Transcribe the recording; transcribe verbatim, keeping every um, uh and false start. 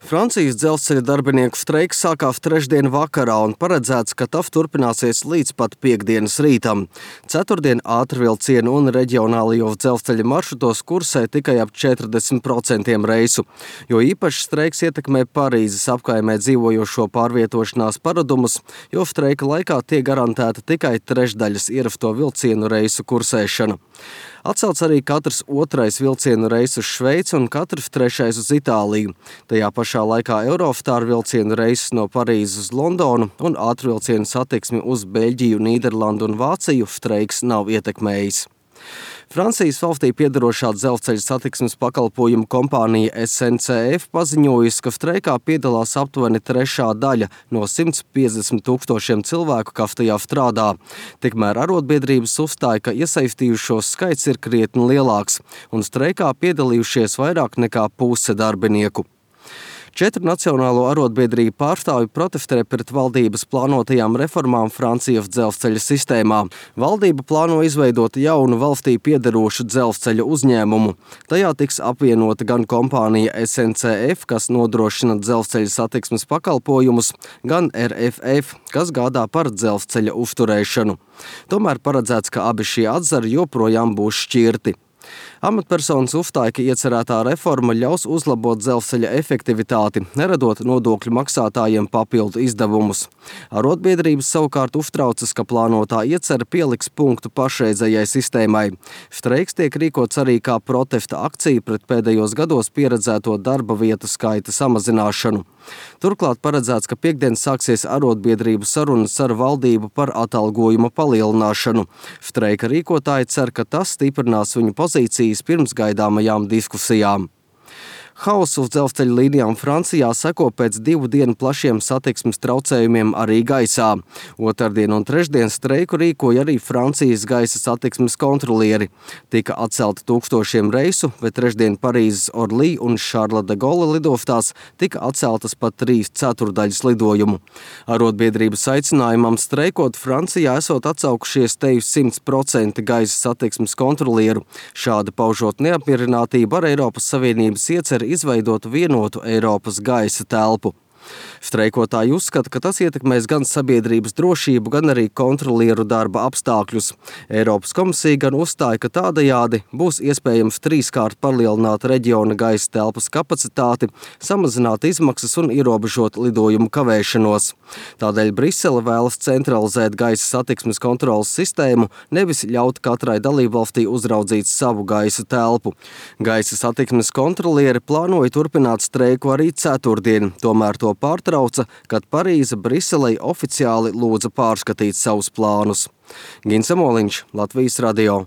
Francijas dzelzceļa darbinieku streiks sākās trešdien vakarā un paredzēts, ka tas turpināsies līdz pat piektdienas rītam. Ceturtdien ātrvilcienu un reģionālajos dzelzceļa maršrutos kursē tikai ap četrdesmit procenti reisu, jo īpaši streiks ietekmē Parīzes apkaimē dzīvojošo pārvietošanās paradumus, jo streika laikā tiek garantēta tikai trešdaļas ierasto vilcienu reisu kursēšana. Atcelts arī katrs otrais vilcienu reiss uz Šveici un katrs trešais uz Itāliju. Tajā pašā laikā Eurostar vilcienu reiss no Parīzes uz Londonu un ātrvilcienu satiksmi uz Beļģiju, Nīderlandu un Vāciju streiks nav ietekmējis. Francijas valstī piedarošā dzelzceļa satiksmes pakalpojumu kompānija S N C F paziņojusi, ka streikā piedalās aptuveni trešā daļa no simts piecdesmit tūkstošiem cilvēku, kas tajā strādā. Tikmēr arotbiedrības uzstāja, ka iesaistījušos skaits ir krietni lielāks un streikā piedalījušies vairāk nekā puse darbinieku. Četru nacionālo arotbiedrību pārstāvji protestē pret valdības plānotajām reformām Francijas dzelzceļa sistēmā. Valdība plāno izveidot jaunu valstī piederošu dzelzceļa uzņēmumu. Tajā tiks apvienota gan kompānija S N C F, kas nodrošina dzelzceļa satiksmes pakalpojumus, gan R F F, kas gādā par dzelzceļa uzturēšanu. Tomēr paredzēts, ka abi šie atzari joprojām būs šķirti. Amatpersonas uzstāja, ka iecerētā reforma ļaus uzlabot dzelzceļa efektivitāti, neradot nodokļu maksātājiem papildu izdevumus. Arotbiedrības savukārt uztraucas, ka plānotā iecere pieliks punktu pašreizējai sistēmai. Streiks tiek rīkots arī kā protesta akcija pret pēdējos gados pieredzēto darba vietu skaita samazināšanu. Turklāt paredzēts, ka piektdien sāksies arotbiedrību sarunas ar valdību par atalgojuma palielināšanu. Streika rīkotāji cer, ka tas stiprinās viņu pozīcijas pirms gaidāmajām diskusijām. Hausu uz dzelzceļa līnijām Francijā seko pēc divu dienu plašiem satiksmes traucējumiem arī gaisā. Otrdien un trešdien streiku rīkoja arī Francijas gaisa satiksmes kontrolieri. Tika atcelti tūkstošiem reisu, bet trešdien Parīzes Orly un Šarla de Gaulle lidostās tika atceltas pat trīs ceturdaļas lidojumu. Arotbiedrības aicinājumam streikot Francijā esot atsaukušies teju simt procenti gaisa satiksmes kontrolieru, šādi paužot neapmierinātību ar Eiropas Savienības ieceri izveidot vienotu Eiropas gaisa telpu. Streikotāji uzskata, ka tas ietekmēs gan sabiedrības drošību, gan arī kontrolieru darba apstākļus. Eiropas komisija gan uzstāja, ka tādējādi būs iespējams trīskārt palielināt reģiona gaisa telpas kapacitāti, samazināt izmaksas un ierobežot lidojumu kavēšanos. Tādēļ Brisele vēlas centralizēt gaisa satiksmes kontrolas sistēmu, nevis ļaut katrai dalībvalstī uzraudzīt savu gaisa telpu. Gaisa satiksmes kontrolieri plānoja turpināt streiku arī ceturtdien, tomēr to pārtrauca, kad Parīze Briselei oficiāli lūdza pārskatīt savus plānus. Gins Amoliņš, Latvijas radio.